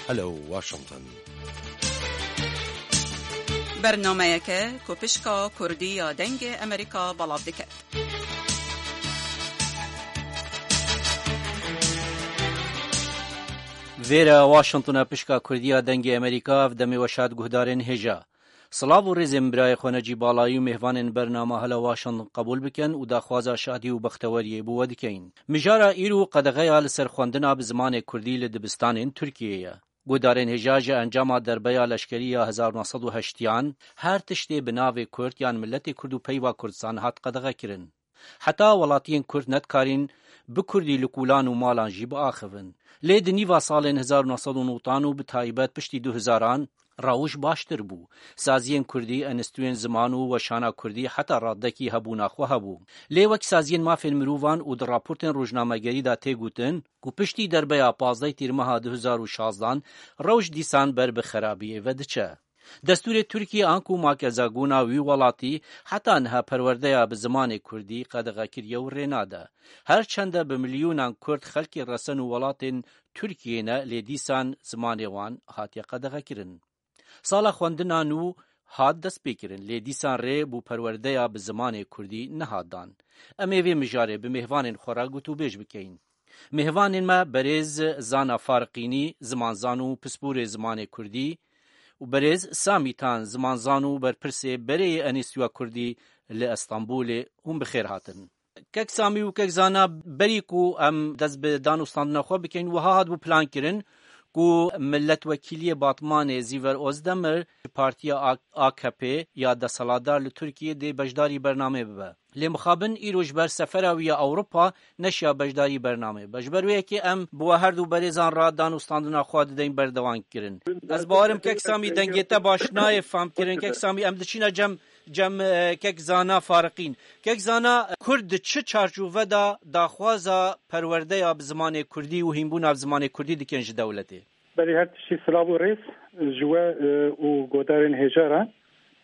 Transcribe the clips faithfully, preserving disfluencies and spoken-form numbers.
Hello Washington. Bernameyeke ku pişka Kurdî ya Dengê Amerîka belav diket. Vêre Washington e, pişka Kurdî ya Dengê Amerîka, ev demê weşat guhdarên hêja. Silav û rêzên birayê xwe necî balayî û mêvanên bernama Hela Washington qebûl bikin û daxwaza şadî û bexteweriyê bo we dikeyin. Mijara îro qedexeya li ser xwendina bi zimanê kurdî li dibistanên Tirkiyeyê ye. Guhdarên hêja ji encama derbeya leşkerî ya hezar neh sed û heştiyan, her tiştê bi navê Kurd yan miletê Kurd û peyva Kurdistan hat qedexekirin. Heta welatiyên Kurd nedikarîn bi Kurdî li kûlan û malan jî biaxivin. Lê di nîva salên hezar neh sed û newtan û bi taybet piştî du hezaran rewş baştir bû. Saziyên Kurdî, enstitûyên ziman û weşana Kurdî heta radekî hebûna xwe hebû. Lê wek saziyên mafên mirovan û di raportên rojnamegerî de tê gotin ku piştî derbeya pazdeh Tîrmeha du hezar û şazdan rewş dîsan ber bi xerabiyê ve diçe. Destûrê Tirkiyê anku makezagona wî welatî heta niha perwerdeya bi zimanê kurdî qedexe kiriye û rê nade. Her çende bi milyonan kurd xelkê resen û welatên Tirkiyê ne, lê dîsan zimanê wan hatiye qedexekirin. Sala xwendina nû hat destpêkirin, lê dîsan rê bo perwerdeya bi zimanê kurdî nehat dan. Em ê vê mijarê bi mêvanên xwe re gotûbêj bikeyin. Mêvanên me berêz Zana Fariqînî, zimanzan û pisporê zimanê kurdî, û berêz Samî Tan, zimanzan û berpirsê berê yê Enîstîtuya Kurdî li Estenbolê, hûn bi xêr hatin. Kek Samî û Kek Zana, berî ku em dest bi dan û standina xwe bikeyin, wiha hatibû plankirin ku miletwekîliyê Batmanê Zîver Ozdemir ji partiya A-, A K P ya desthilatdar li Tirkiyê dê beşdarî bernamê bibe. Lê mixabin îro ji ber sefera wî ya Ewropa neşiya beşdarî bernamê be. Ji ber wê yekê em bi we her du berêzan re dan û standina xwe dideyin berdewamkirin. Ez bawerim Kek Samî, dengê te baş nayê famkirin. Kek Samî, em diçîne cem, cem, e, Kek Zana Fariqîn. Kek Zana, Kurd di çi çarçove de daxwaza perwerdeya bi zimanê kurdî û hînbûna bi zimanê kurdî dikin ji dewletê? Berî her tiştî silav û rêz ji we, e, û godarên hêja re.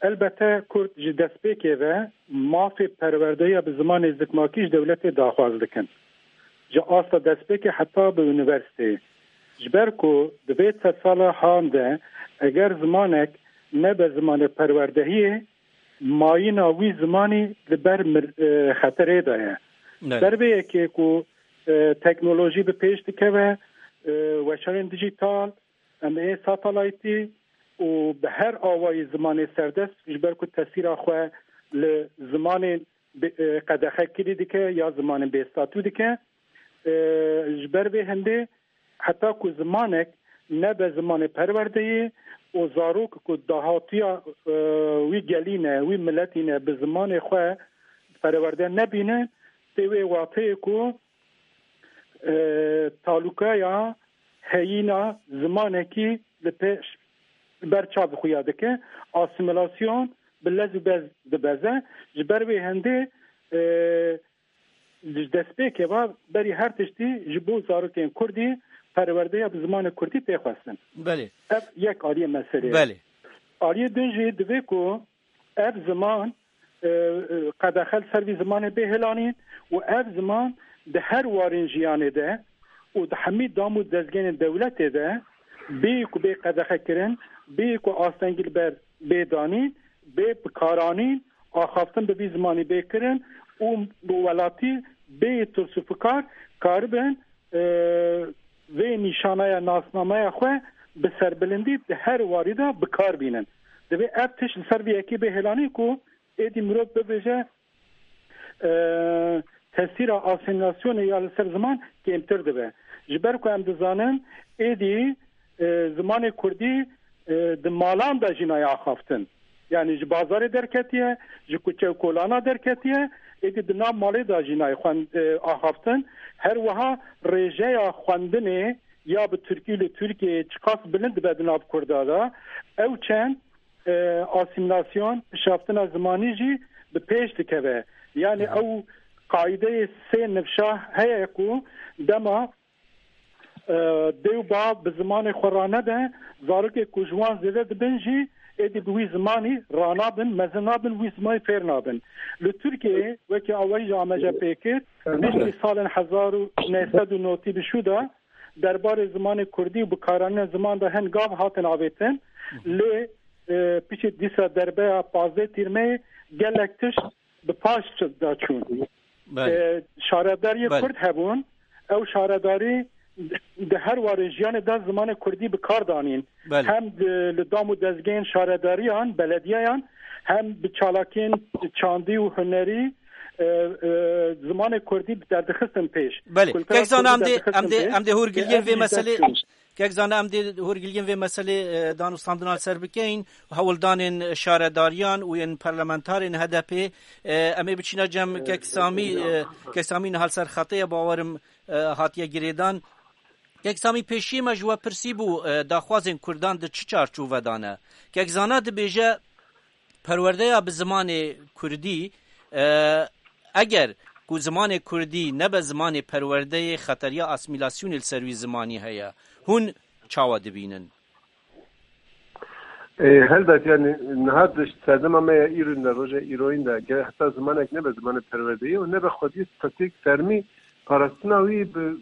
Elbette Kurd ji destpêkê ve mafê perwerdeya bi zimanê zikmakî ji dewletê daxwaz dikin. Ji asta destpêkê heta bi unîversîteyê. Ji ber ku di vê sedsala han de eger zimanek nebe zimanê perwerdehiyê, mayîna wî zimanî li ber mir-, e, xeterê de ye. Belê. Ber vê yekê ku, e, teknolojî bi pêş dikeve, e, weşanên dijîtal, em ê satelaytî û bi her awayî zimanê serdest, ji ber ku tesîra xwe li zimanên bi-, e, qedexe kirî dike ya zimanên bêstatû dike. E, ji ber vê hindê heta ku zimanek nebe zimanê perwerdeyê û zarok ku dahatiya, e, wî gelî ne, wî miletî ne, bi zimanê xwe perwerde nebîne, tê wê wateyê ku, e, talûkaya heyîna zimanekî li pêş, li ber çavê xwe ya dike, asîmîlasyon bi lez û bez dibeze. Ji ber wê hindê, e, ji destpêkê ve berî her tiştî ji bo zarokên kurdî perwerdeya bi zimanê kurdî tê xwestin. Belê. Ev yek aliyê meselê ye. Belê. Aliyê din jî divê ku ev ziman, e, e, qedexe li ser vî zimanê bê hilanîn û ev ziman di her warên jiyanê de û di hemî dam û dezgehên dewletê de bê ku bê qedexe kirin, bê ku astengî li ber bê danîn, bê bikaranîn, axaftin bi vî zimanî bê kirin û bi welatî bê tirs û fikar karibin, e, vê nîşanaya nasnameya xwe bi serbilindî di her warî de bi kar bînin. Divê ev tişt li ser vê yekê bê hêlanî ku êdî mirov bibêje, e, tesîra asîmîlasyonê ya li ser ziman kêmtir dibe. Ji ber ku em dizanin êdî, e, zimanê kurdî, e, di malan de jî nayê axaftin. Yanî ji bazarê derketiye, ji kuçe û kolana derketiye, êdî di nav malê de jî nayê xwend-, e, axaftin. Her wiha rêjeya xwendinê ya bi tirkî li Tirkiyeyê çiqas bilind dibe di nav kurda de. Ew çend, e, asîmîlasyon, pişaftina zimanî jî bi pêş dikeve. Yanî ew qaîdeyê sê nifşa heye ku dema, e, dê û bav bi zimanê xwe ranebe, zarokê ku ji wan zêde dibin jî êdî bi wî zimanî ranabin, mezin nabin, wî zimanî fêr nabin. Li Tirkiyeyê wekî awayî jî Ahmet Can pê kir, piştî salên hezar û neh sed û notî bi şû de derbarê zimanê kurdî û bikaranîna ziman de hin gav hatin avêtin. Lê, e, piştî dîsa derbeya pazdeh Tîrmeyê gelek tişt bi paş de çûn. Belê. E, şaredariyê Belê. Kurd hebûn. Ew şaredarî di her warê jiyanê de zimanê kurdî bi kar danîn. Belê. Hem di, li dam û dezgehên şaredariyan, belediyeyan, hem bi çalakiyên çandî û hunerî, e, e, zimanê kurdî derdixistin pêş. Belê. Kultura Kek Zana, kurdî em dê, derdixistin em dê, pêş. Em dê hûrgiliyên Ev vê jî meselê dest pêş. Kek Zana, em dê hûrgiliyên vê meselê, e, danûstandina li ser bikeyin, hewldanên şaredariyan û yên parlamentarên H D P, e, em ê biçîne cem Kek Samî, e, Kek Samî niha li ser xetê ye, bawerim, e, hatiye girêdan. Kek Samî, pêşiyê me ji we pirsî bû, e, daxwazên Kurdan di çi çarçove de ne? Kek Zana dibêje, perwerdeya bi zimanê kurdî, e, eger ku zimanê kurdî nebe zimanê perwerdeyê, xeteriya asîmîlasyonê li ser wî zimanî heye. Hûn çawa dibînin? E, helbet, yani, niha di serdema me ya îro de, roja îroyîn de, ger heta zimanek nebe zimanê perwerdeyê û nebe xwediyê statûyek fermî, parastina wî bi,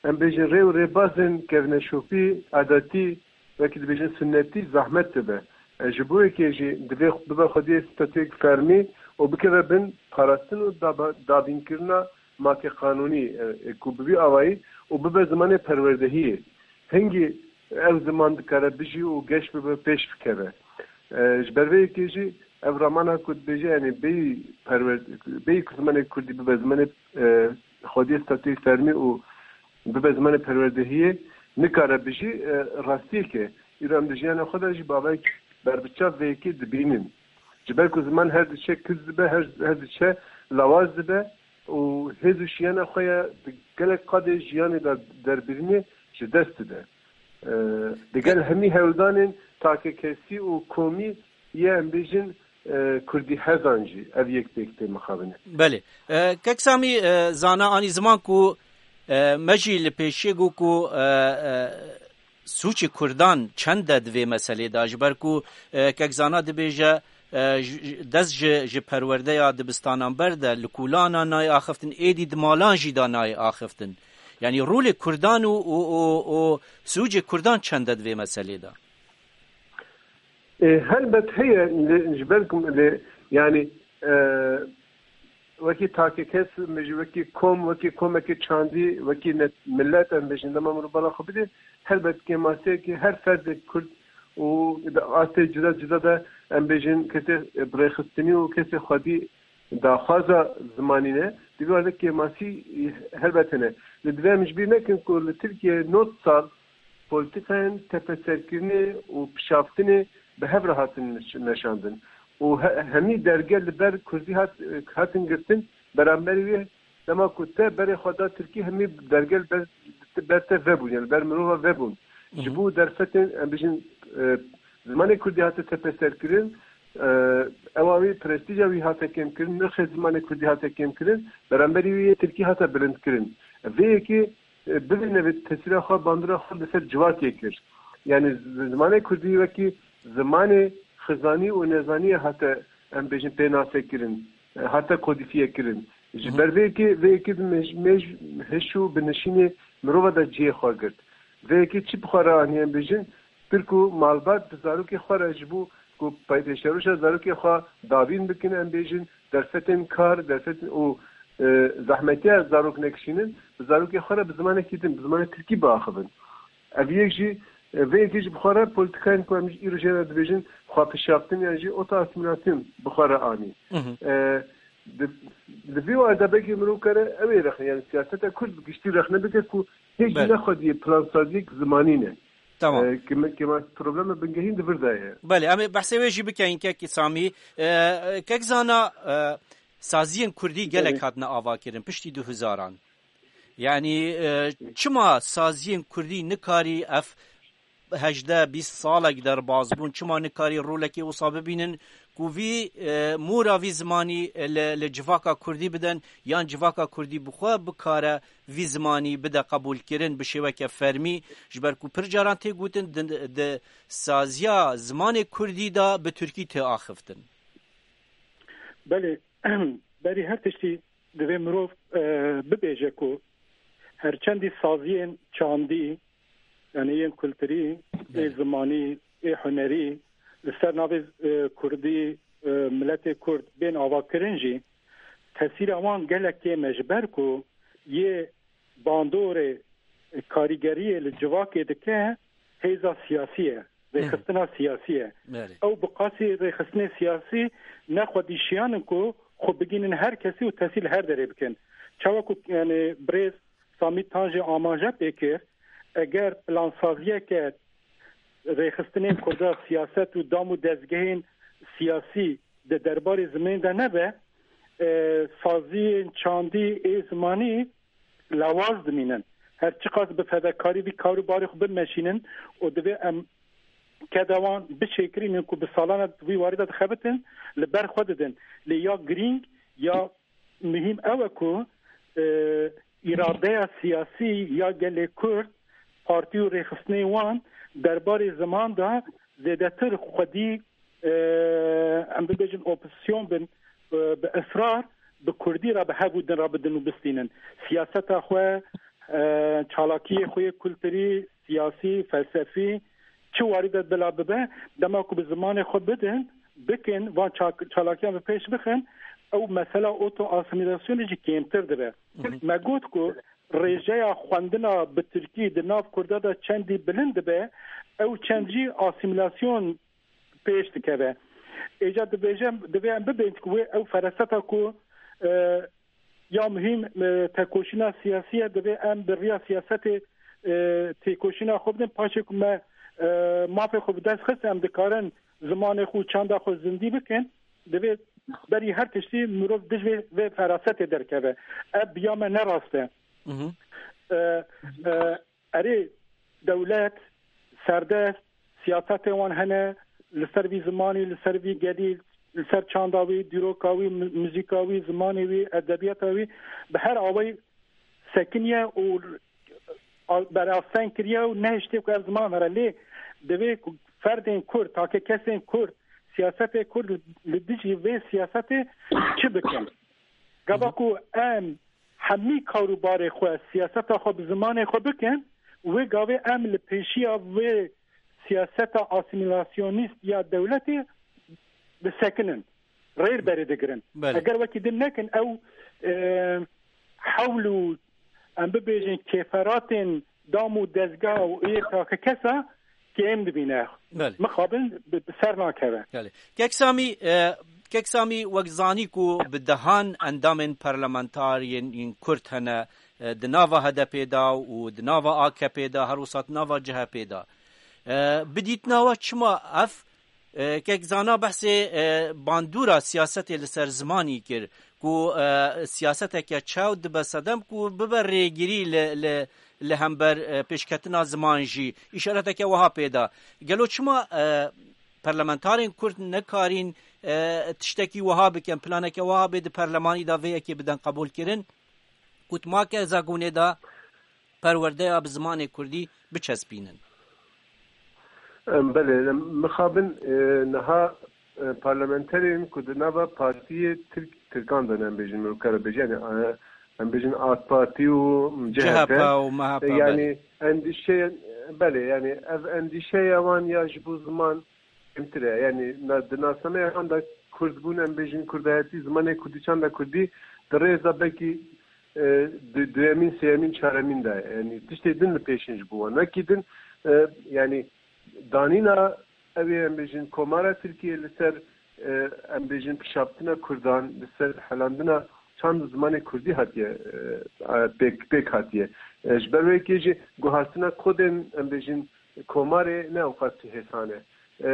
em bêjin, rê û rêbazên kevneşopî, adetî, wekî dibêjin sunnetî, zehmet dibe. E, ji bo yekê jî divê bibe xwediyê statûyek fermî û bikeve bin parastin û daba-, dabînkirina makê qanûnî, e, e, ku bi vî awayî û bibe zimanê perwerdehiyê. Hingî ev ziman dikare bijî û geş bibe, pêş bikeve. E, ji ber vê yekê jî ev ramana ku dibêje, yani bêyî perwer-, bêyî ku zimanê kurdî bibe zimanê, e, xwediyê statûyê fermî û bibe zimanê perwerdehiyê, nikare bijî, e, rastiyek e. Îro em di jiyana xwe de jî bavek berbiçav vê yekê dibînin. Ji ber ku ziman her diçe kiz dibe, her, her diçe lawaz dibe û hêz û şiyana xwe ya di gelek qadê jiyanê de derbirînê ji dest dide. E, digel hemî hewldanên takekesî û komî yê, em bêjin, e, kurdî hezan jî ev yek pêk tê mixabin e. Belê. E, Kek Samî, e, zana anî ziman ku, e, me jî li pêşiyê got ku, e, e, sûcê kurdan çend e di vê meselê de, ji ber ku, e, Kek Zana dibêje, e, ji, ji, dest ji, ji perwerdeya dibistanan ber de, li kûlana nayê axiftin, êdî di malan jî de nayê axiftin. Yanî rolê kurdan û, û, û, û sûcê kurdan çend e di vê meselê de? E, helbet heye, lê ji ber ku lê, yani, e, wekî takekes, em bêjin, wekî kom, wekî komekî çandî, wekî ne-, millet, em bêjin, dema mirov bala xwe bidê, helbet kêmasiyekî her ferdek kurd û di astê cuda cuda de, em bêjin, kesê birêxistinî û kesê xwedî daxwaza zimanî ne, di vî werde kêmasî helbet hene. Lê divê em ji bîr nekin ku li Tirkiyeyê nod sal polîtîkayên tepeserkirinê û pişaftinê bi hev re hatin meş-, meşandin. Û he-, hemî derge li ber kurdî hat-, hatin girtin, beramberî wê dema ku te berê xwe da tirkî, hemî derge li ber, ber te vebûn, yani ber mirova vebûn. Hı hı. Ji bo derfetên, em bijin, e, zimanê kurdî hate tepeserkirin, e, ewa wî, prestîja wî hate kêmkirin, nirxê zimanê kurdî hate kêmkirin, beramberî wê yê tirkî hate bilindkirin. Vê yekê, e, bivê nevê tesîra xwe, bandora xwe li ser civakê kir. Yani z-, zimanê kurdî wekî zimanê xizanî û nezaniyê hate, em bêjin, pênasekirin, e, hate kodîfiyekirin. Ji Hı hı. ber vê yekê, vê yekê bi mej-, mej-, hiş û binişînê mirova de cihê xwe girt. Vê yekê çi bi xwe re anî, em bêjin, Tirk û malbat bi zarokê xwe re ji bo ku paytê şeroşa zarokê xwe dabîn bikin, em bêjin, derfetên kar, derfetên û, e, zehmetiya zarok nekişînin, bi zarokê xwe re bi zimanekî din, bi zimanê tirkî biaxivin. Ev yek jî, e, vê yekê jî bi xwe re polîtîkayên ku em îro jê re dibêjin, xwepişaftin yan jî otoasîmîlasyon bi xwe re anî. Hı hı. E, di, di vî werde belkî mirov kare ew ê rexne, yani siyaseta kurd bi giştî rexne bike ku hêj Belê. ne xwediyê plansaziyek zimanî ne. Tamam. E, kime-, kema problema bingehîn di vir de ye. Belê, em ê behsê wê jî bikeyin, Kek Samî. E, e, Kek Zana, e, saziyên kurdî gelek Belê. hatine avakirin piştî du hezaran. Yani, e, çima saziyên kurdî nikarî ev hejdeh bîst salek derbas bûn, çima nikarî rolekê wisa bibînin ku vî, e, mora vî zimanî, e, li, li civaka kurdî bidin, yan civaka kurdî bi xwe bikare vî zimanî bide qebûlkirin bi şêweke fermî, ji ber ku pir caran tê gotin di, di saziya zimanê kurdî de bi tirkî tê axiftin? Belê, berî her tiştî divê mirov, e, bibêje ku Her çendî saziyên çandî, yanî yên kulturî, ê zimanî, ê hunerî, li ser navê, e, kurdî, e, miletê kurd bên avakirin jî, tesîra wan gelek kêm e, ji ber ku yê bandorê, e, karîgeriyê li civakê dike, hêza siyasî ye, rêxistina siyasî ye. Ew bi qasî rêxistinê siyasî ne xwedî şiyan in ku xwe bigînin her kesî û tesîr li her derê bikin. Çawa ku, yanî, birêz Samî Tan jî amaje pê kir, eger plansaziyeke rêxistinên Kurda, siyaset û dam û dezgehên siyasî di derbarê zimanê de nebe, e, saziyên çandî ê zimanî lawaz dimînin. Her çiqas bi fedakarî vî kar û barê xwe bimeşînin û divê em keda wan bişêkirînin ku bi salan e di vî warî de dixebitin, li ber xwe didin. Lê ya girîng, ya muhîm ew e ku, e, îradeya siyasî ya gelê Kurd, partî û rêxistinên wan derbarê ziman de zêdetir xwedî, e, em bibêjin opozisyon bin, e, bi israr bi kurdî re bi hev û din re bidin û bistînin. Siyaseta xwe, e, çalakiyê xwe yê kulturî, siyasî, felsefî, çi warî de bila bibe, dema ku bi zimanê xwe bidin, bikin, van ça-, çalakiyan bi pêş bixin, ew mesela oto-asîmîlasyonê jî kêmtir dibe. Me got ku rêjeya xwendina bi tirkî di nav kurda de çendî bilind dibe, ew çend jî asîmîlasyon pêş dikeve. Êca dibêje, divê em bibên ku wê ew fereseta ku, e, ya muhîm, e, tekoşîna siyasî ye, divê em bi riya siyasetê, e, têkoşîna xwe bidin. Paşê ku me, e, mafê xwe bi dest xist, em dikarin zimanê xwe û çanda xwe zindî bikin. Divê berî her tiştî mirov dij vê, vê ferasetê derkeve. Ev bi ya me ne rast e. E, e, Erê, dewlet, serdest, siyasetên wan hene, li ser vî zimanî, li ser vî gelî, li ser çanda wî, dîroka wî, mi-, muzîka wî, zimanê wî, edebiyata wî, bi her awayî sekiniye û a-, berasteng kiriye û nehiştiye ku ev ziman here. Lê divê ku ferdên Kurd, take kesên Kurd, siyasetê Kurd li, li dijî vê siyasetê çi bikin? Gava ku em hemî kar û barê xwe, siyaseta xwe bi zimanê xwe bikin, wê gavê em li pêşiya vê siyaseta asîmîlasyonîst ya dewletê disekinin, rêr berê digirin. Belê. Eger wekî din nekin, ew, e, hewl û, em bibêjin, kêferatên dam û dezga û ê takekesa kêm dibîne. Belê. Mixabin bi, bi ser nakeve. Belê. Kek Samî, e, Kek Samî, wek zanî ku bi dehan endamên parlamentar yên, yên Kurd hene, e, di nava H D P de û di nava A K P de, her wisa di nava C H P de. E, bi dîtina we çima ev, e, kek zana behsê, e, bandora siyasetê li ser zimanî kir, ku, e, siyaseteke çew dibe sedem ku bibe rêgirî li, li, li hember, e, pêşketina ziman jî. Îşareteke wiha pê da. Gelo çima, e, parlamentarên Kurd nekarîn, e, tiştekî wiha bikin, planeke wiha bê di perlemanî de vê yekê bidin qebûlkirin, ku di maka zagonê de perwerdeya bi zimanê Kurdî biçespînin? Em, belê, em, mixabin, e, niha, e, parlamenterên ku di nava partiyê Tirk-, Tirkan de ne, em bêjin, mirov kare bêje, yani, e, em bêjin AK Partî û C H P. C H P û M H P, E, yani, belê. Endîşeya, belê, yani, ev endîşeya wan ya ji bo ziman kêmtir e. Yani, na, di nasnameya wan de Kurdbûn, em bêjin, Kurdayetî, zimanê Kurdî, çanda Kurdî, di rêza belkî, e, du-, duyemîn, sêyemîn, çaremîn de. Yani, tiştê din li pêşin ji bo wan. Wekî din, e, yani, danîna ew ê, em bêjin, Komara Tirkiyê li ser, e, em bêjin, pişaptina Kurdan, li ser helandina çand û zimanê Kurdî hatiye, e, pêk, pêk hatiye. E, ji ber wê yekê jî guhartina kodên, em bêjin, Komarê ne ewqas hêsan e. E,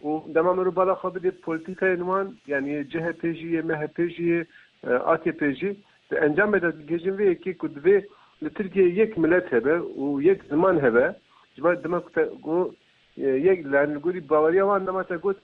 û dema mirov bala xwe bidê polîtîkayên wan, yanî yê C H P jî, yê M H P jî, yê, e, A K P jî, di encamê de digihêjin vê yekê ku divê li Tirkiyeyê yek milet hebe û yek ziman hebe. Ji ber dema ku te got, e, yek, yani li gorî baweriya wan dema te got,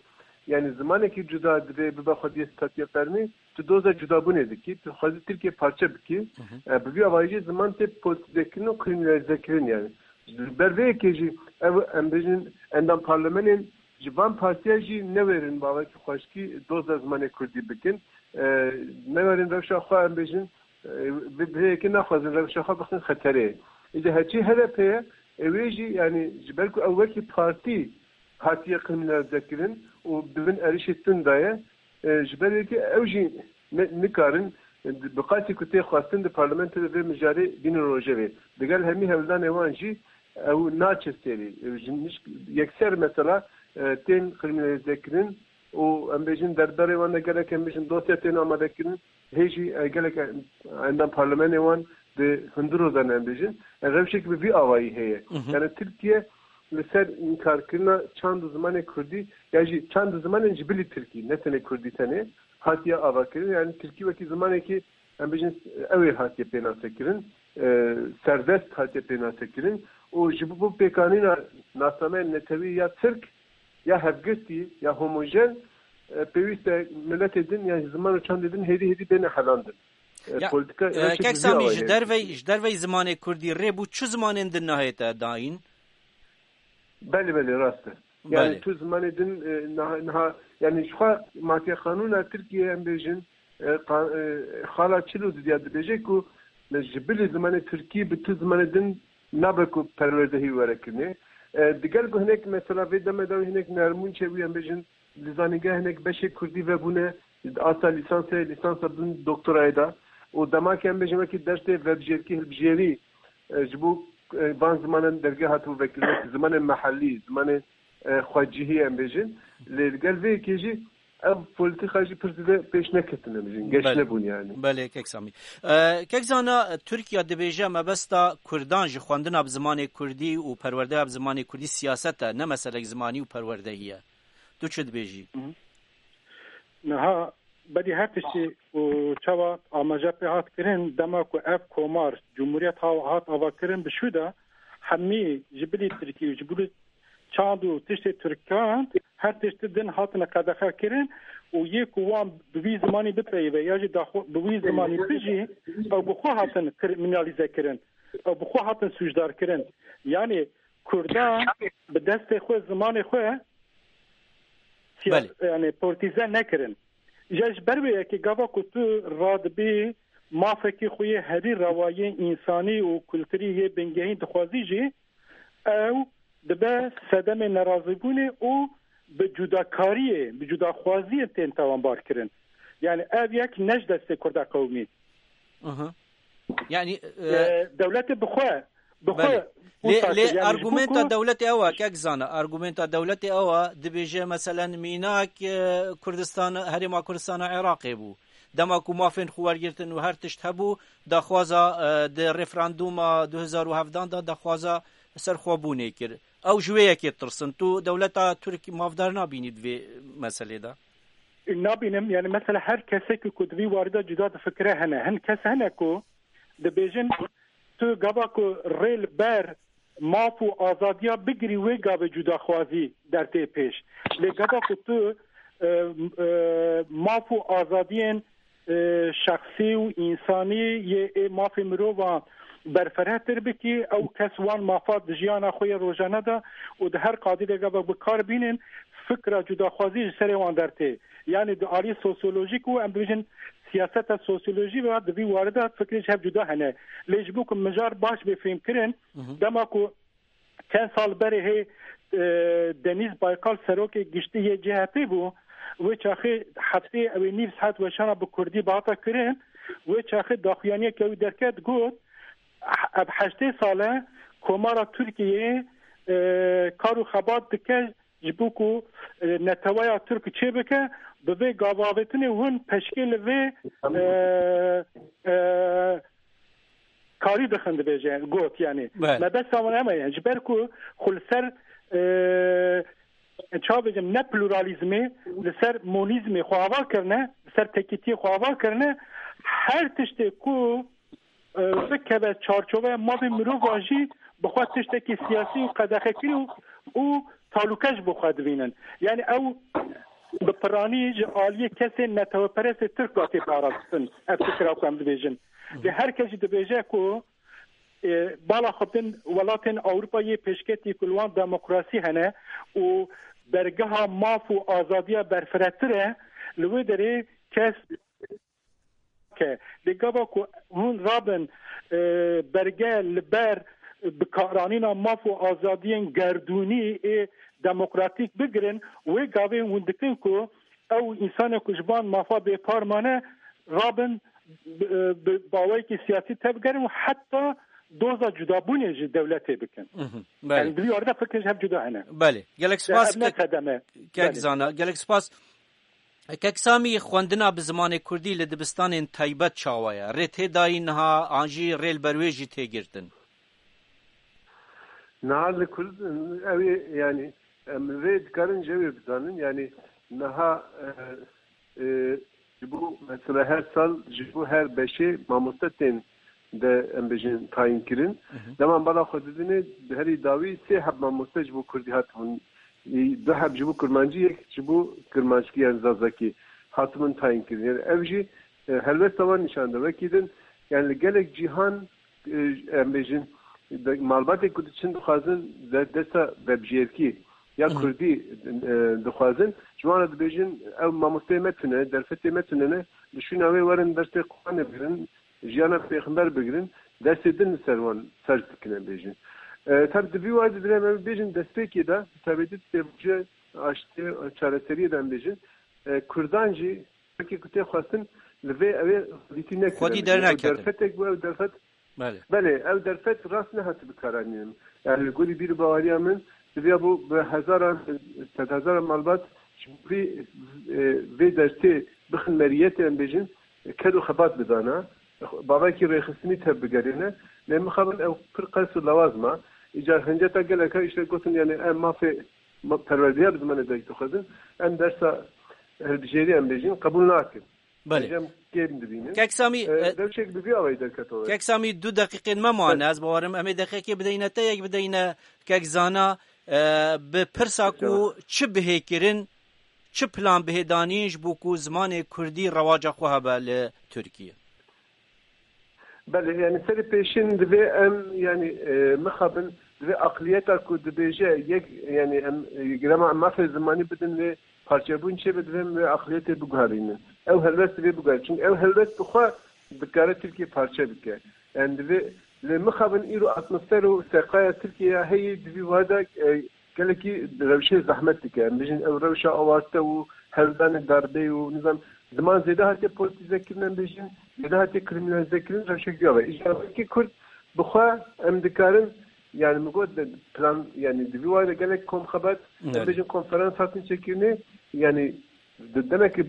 yani zimanekî cuda divê bibe xwediyê statûya fermî, tu doza cudabûnê dikî, tu xwezî Tirkiye parçe bikî. Hı hı. E, bi vî awayî jî ziman tê politizekirin û kriminalizekirin yani. Ji ber vê yekê jî ev, em bêjin, endam parlemenên ji van partiya jî newêrin bavekî xweşkî doza zimanê kurdî bikin. E, newêrin rewşa xwe, em bêjin, E, bi, bi yekê naxwazin rewşa xwe bixin xeterê. Îca heçî H D P ye, e, wê jî, yanî, ji ber ku ew wekî partî hatiye kriminalize kirin û di bin êrişê tund de ye, e, ji ber yekê ew jî ne, nikarin, e, bi qasî ku tê xwestin di parlamentoyê de vê mijarê bînin rojevê. Digel hemî hewldanê wan jî ew naçe serî. E, ji nişk-, yekser mesela, e, tên kriminalize kirin û em bêjin derbarê wan de gelek, em bêjin dosya tên amade kirin. Hê jî, e, gelek, e, endam parlamenê wan di hundir de ne, em bêjin. E, rewşek bi vî awayî heye. Mhm. Yani Tirkiye li ser înkarkirina çand û zimanê kurdî, ya jî çand û zimanên ji bilî tirkî, ne tenê kurdî tenê, hatiye avakirin. Yani tirkî wekî zimanekî, em bêjin, ew ê hatiye pênasekirin, e, serdest hatiye pênasekirin û ji bo pêkanîna nasnameyên netewî ya tirk, ya hevgirtî, ya homojen, e, pêwîst e miletê din, ya ziman û çandê din hêdî hêdî bêne helandin. E, Ya, politika e, rewşekî kek vî Samî, awayî ji heye. dervey, ji dervey zimanê kurdî rê bû çi zimanên din nahête dayîn? Belê, belê, rast e. Yani Belê. tu zimanê din, e, niha, niha, yani ji xwe matiye qanûna Tirkiye em bêjin, e, qa-, e, xala çil û didiya dibêje ku ji bilî zimanê tirkî bi tu zimanê din nabe ku perwerdehî were kirinê. E, digel ku hinek mesela vê demê de hinek nermûn çêbûye, em bêjin li zanîngeh hinek beşê kurdî vebûne, asta lîsansê, lîsansa bin doktorayê de û dema ke em bêjin wekî dersê vebijêrkî hilbijêrî, e, ji bo, e, van zimanan dergeh hatibû vekirin, wekî zimanê mehellî, zimanê, e, xwecihî em bêjin. Lê li gel vê yekê jî ev polîtîka jî pir zêde pêş neketine, em bêjin, geş Belê. nebûn yani. Belê, kek Samî. E, kek Zana, Tirkiye dibêje mebesta Kurdan ji xwendina bi zimanê Kurdî û perwerdeya bi zimanê Kurdî siyaset e, ne meselek zimanî û perwerdehî ye. Tu çi dibêjî? Hı hı. Niha berî her tiştî û çawa amaje pê hat kirin, dema ku ev komar, cumhuriyet ha-, hat avakirin, bi şû de hemî ji bilî tirkî û ji bilî çand û tiştê tirkan her tiştî din hatine qedexe kirin û yê ku wan bi wî zimanî bipeyive ya jî daxwe bi wî zimanî bijî, ew bi xwe hatin kriminalîze kirin, ew bi xwe hatin sûcdar kirin. Yani Kurdan bi destê xwe, zimanê xwe siya-, Belê. yani politize nekirin. Îja ji ber wê yekê gava ku tu radibî mafekî xwe yê herî rewayê însanî û kulturî yê bingehîn dixwazî jî, ew dibe sedemê nerazîbûnê û bi cudakariyê, bi cudaxwaziyê tên tawanbar kirin. Yani ev yek ne ji destê Kurda qewimî. Aha. Yani, e, E, dewletê bi xwe, bi xwe Belê. Lê, wisa lê kir, yani ji bo argumenta ku dewletê ew e, kek Zana, argumenta dewletê ew e, dibêje, meselen, mînak, e, Kurdistan, Herêma Kurdistana Iraqê bû. Dema ku mafên xwe wergirtin û her tişt hebû, daxwaza, e, di referandûma du hezar û hevdan de daxwaza serxwebûnê kir. Ew ji wê yekê tirsin. Tu dewleta Tirk mafdar nabînî di vê meselê de? Nabînim, yani mesela her kesekî ku di vî warî de cuda difikire hene. Hin kes hene ku dibêjin tu gava ku rê li ber maf û azadiya bigirî, wê gavê cudaxwazî dertê pêş. Lê gava ku tu, e, e, maf û azadiyên, e, şexsî û însanî yê ê mafê mirovan berfirehtir bikî, ew kes wan mafa di jiyana xwe yê rojane de û di her qadî de gava bi kar bînin, fikra cudaxwazî ji serê wan dertê. Yani di alî sosyolojîk û em dibêjin siyaseta sosyolojî ve di vî warî de fikrê ji hev cuda hene. Lê ji bo ku mijar baş bê fêmkirin, Hı hı. dema ku çend sal berê hê, e, Deniz Baykal serokê giştî yê C H P bû, wê çaxê heftê ew ê nîv saet weşana bi kurdî bihata kirin, wê çaxê daxuyaniyeke wî derket, got, ev heştê sal e Komara Tirkiyeyê, e, kar û xebat dike ji bo ku, e, neteweya Tirk çêbike, bi vê gavavêtinê hûn peşkê li vê, e, e, karî dixin, dibêje, got, yani. Belê. Mebesta wan heme ye. Ji ber ku xwe li ser, e, çawa bêjim, ne pluralîzmê, li ser monîzmê xwe ava kirine, li ser tekîtiyê xwe ava kirine, her tiştê ku e, bikeve çarçoveya mafê mirovan jî bi xwe tiştekî siyasî û qedexekirî û, û talûke ji bo xwe dibînin. Yani ew bi piranî ji aliyê kesên neteweperestê Tirk ve tê parastin. Ev fikra ku em dibêjin. Lê her kes jî dibêje ku, e, bala xwe bin welatên Ewropa yê pêşketî ku li wan demokrasî hene û dergeha maf û azadiya berfiretir e, li wê derê kes ke. Lê gava ku hûn rabin, e, berge li ber bikaranîna maf û azadiyên gerdûnî ê demokratîk bigirin, wê gavê hûn dikin ku ew însanê ku ji van mafa bêpar mane, rabin bi, bi baweyekî siyasî tevgerin û heta doza cudabûnê ji dewletê bikin. Mhm, belê. Yani, di vî arda fikir ji hev cuda hene. Belê. Gelek spas. Ev ne ke-, sedem e. Kek Belê. Zana, gelek spas. Kek Samî, xwendina bi zimanê kurdî li dibistanên taybet çawa ye? Rê tê dayî niha an jî rê li ber wê jî tê girtin? Niha li Kurd, ew ê, yani, em vê dikarin ji wê bizanin, yani, niha, e, e, ji bo, mesela, her sal ji bo her beşê mamoste tên de, em bêjin, tayîn kirin. Hı hı. Dema bala xwe didinê, di herî dawî sê heb mamoste ji bo kurdî hatibûn. Ê, du heb ji bo kurmancî, yek ji bo kurmanckî, yani zazakî, hatibûn tayîn kirin. Yani ev jî, e, helwesta wan nîşan de. Wekî din, yani li gelek cîhan, e, em bêjin, de-, malbatê ku diçin dixwazin de-, dersa vebijêrkî ya Hı hı. kurdî, e, dixwazin, ji wan re dibêjin, ew mamosteyê me tune, derfetê me tune ne, li şûna wê werin dersê Quranê bigirin, jiyana pêxember bigirin, destê din li ser wan ferz dikine bêjin. E, tab di vî wayî de dilê me bêjin destpêkê de, bi taybetî di sêvaje aştiyê, çareseriyê de em bêjin, e, Kurdan jî wekî ku tê xwestin li vê ew ê xwedîtî nekirine. Xwedî derneketin. Ew derfetek bû, ew derfet Belê. Belê, ew derfet rast nehate bikaranînin. Yani li gorî bîr û baweriya min, divya bû bi hezaran, sedhezaran malbat ji vî, e, vê dertê bixin meriyetê, em bêjin, ked û xebat bidana, bavekî rêxistinî tev bigerîne, lê mixabin ew pir qels û lawaz ma. Îcar hinceta geleka îşte gotin, yani em mafê ma-, perwerdeya bi zimanê dayik dixwazin, em dersa hilbijêrî em bêjin, qebûl nakin. Belê. Em kêm dibînin. Kek Samî, E, e, rewşek bi vî awayî derketore. Kek Samî, du deqîqên me mane, Belê. Ez bawerim em ê deqîqê bideyne te, yek bideyne Kek Zana, e, bi pirsa ku Tamam. çi bihê kirin, çi plan bihê danîn ji bo ku zimanê kurdî rewaca xwe hebe li Tirkiye? Belê, yani serê pêşin divê em, yani, e, mixabin, divê aqliyeta ku dibêje yek, yani em, e, grema em mafê zimanî bidin vê parçebûn çêbe, divê em vê aqliyetê biguherînin. Ew helwest divê biguherînin. Çünkü ew helwest bi xwe dikare Tirkiye parçe bike. Yani divê, lê mixabin îro atmosfer û seqaya Tirkiye ya heyî di vî wada, e, gelekî rewşê zehmet dike. Em bêjin ew rewşa awarte û hewldanê darbeyê û nizam ziman zêde hatiye politize kirin, em bêjin zêde hatiye kriminalize kirin, rewşek ya ve. Îja wekî Kurd bi xwe em dikarin, yani min got de plan, yani di vî wayî de gelek kom xebat, em Evet. bêjin konferans hatin çêkirinê, yani di demekî,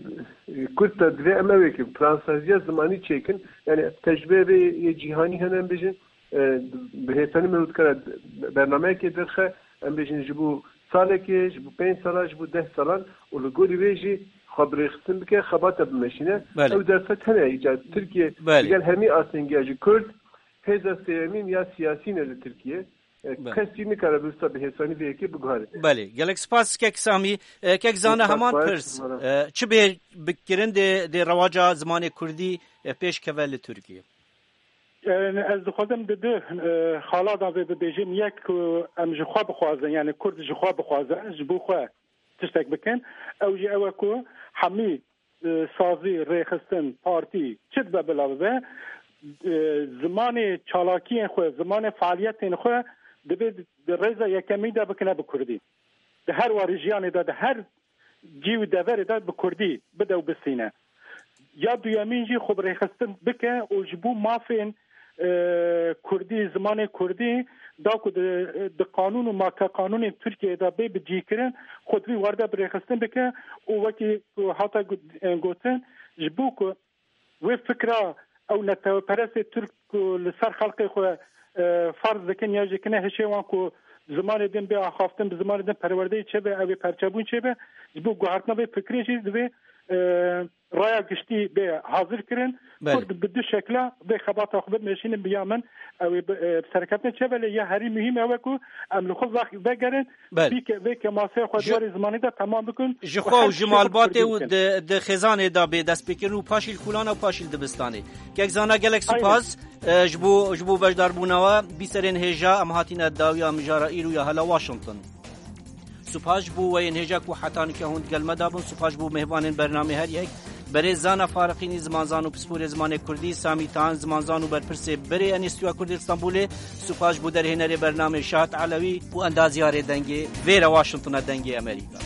e, kurt de divê em ew ê ki plansaziya zimanî çêkin, yani tecrübeyê vê yê cîhanî hene, em bêjin, e, bi hêsanî me dikare bernameyekê derxe, em bêjin ji bo salekê, ji bo pênc sala, ji bo deh salan û li gorî wê jî xwe bi rêxistin bike, xebata bimeşîne. Belê. Ew derfet hene, îcar Tirkiye Belê. digel hemî astengiya jî Kurd, hêza sêyemîn ya siyasî ne li Tirkiye. E, Belê. kes jî nikare bi wisa bi hêsanî vê yekê biguhere. Belê. Gelek spas Kek Samî. E, Kek Zana Spas, heman spas, pirs. Spas. E, çi bê bikirin dê, dê rewaca zimanê kurdî, e, pêş keve li Tirkiye? E, ez dixwazim di du, e, xala de vê bibêjim. Yek ku em ji xwe bixwazin, yani Kurd ji xwe bixwaze, ji bo xwe tiştek bikin. Ew jî ew e ku hemî, e, sazî, rêxistin, partî çi dibe bila bibe, e, zimanê çalakiyên xwe, zimanê faaliyetên xwe divê di rêza yekemîn de bikine bi kurdî. Di her warê jiyanê de, di her cî û deverê de bi kurdî bide û bistîne. Ya duyemîn jî xwe bi rêxistin bike û ji bo mafên, e, kurdî, zimanê kurdî, da ku di, di qanûn û makeqanûnên Tirkiyeyê de bê bicihkirin, xwe di vî warde bi rêxistin bike û wekî ku hate got-, e, gotin, ji bo ku wê fikra ew neteweperestê Tirk ku li ser xelkê xwe, e, ferz dikin ya jî kine hişê wan ku zimanê din bê axaftin, bi zimanê din perwerdeyê çêbe, ew ê perçebûn çêbe, ji bo guhertina vê fikrê jî divê, e, raya giştî bê hazir kirin. Belê. Kurd bi du şekla vê xebata xwe bimeşînin, bi ya min ew ê bi, e, bi serkeftin çêbe, lê ya herî muhîm ew e ku em li xwe vex-, vegerin, Belê. Vê ke-, vê kemasê xwe Ji- diyarê zimanî de temam bikin Ji û xwe û her ji tiştê xwe malbatê bi û kurdî bikin. di, di xêzanê de bê destpêkirin û paşî li kûlan û paşî li dibistanê. Kek Zana, gelek Aynen. spas, e, ji bo, ji bo beşdarbûna we. Bîserên hêja, em hatine dawiya mijara îro ya Hela Washington. Spas ji bo we yên hêja ku heta nike hûn digel me de bûn. Spas ji bo mêvanên bernamê her yek. Berê Zana Fariqînî, zimanzan û pisporê zimanê kurdî, Samî Tan, zimanzan û berpirsê berê Enîstîtuya Kurdî li Stenbolê, spas ji bo derhênerê bernamê Şahat Elewî û endazyarê dengê vêre Washingtona Dengê Amerîka.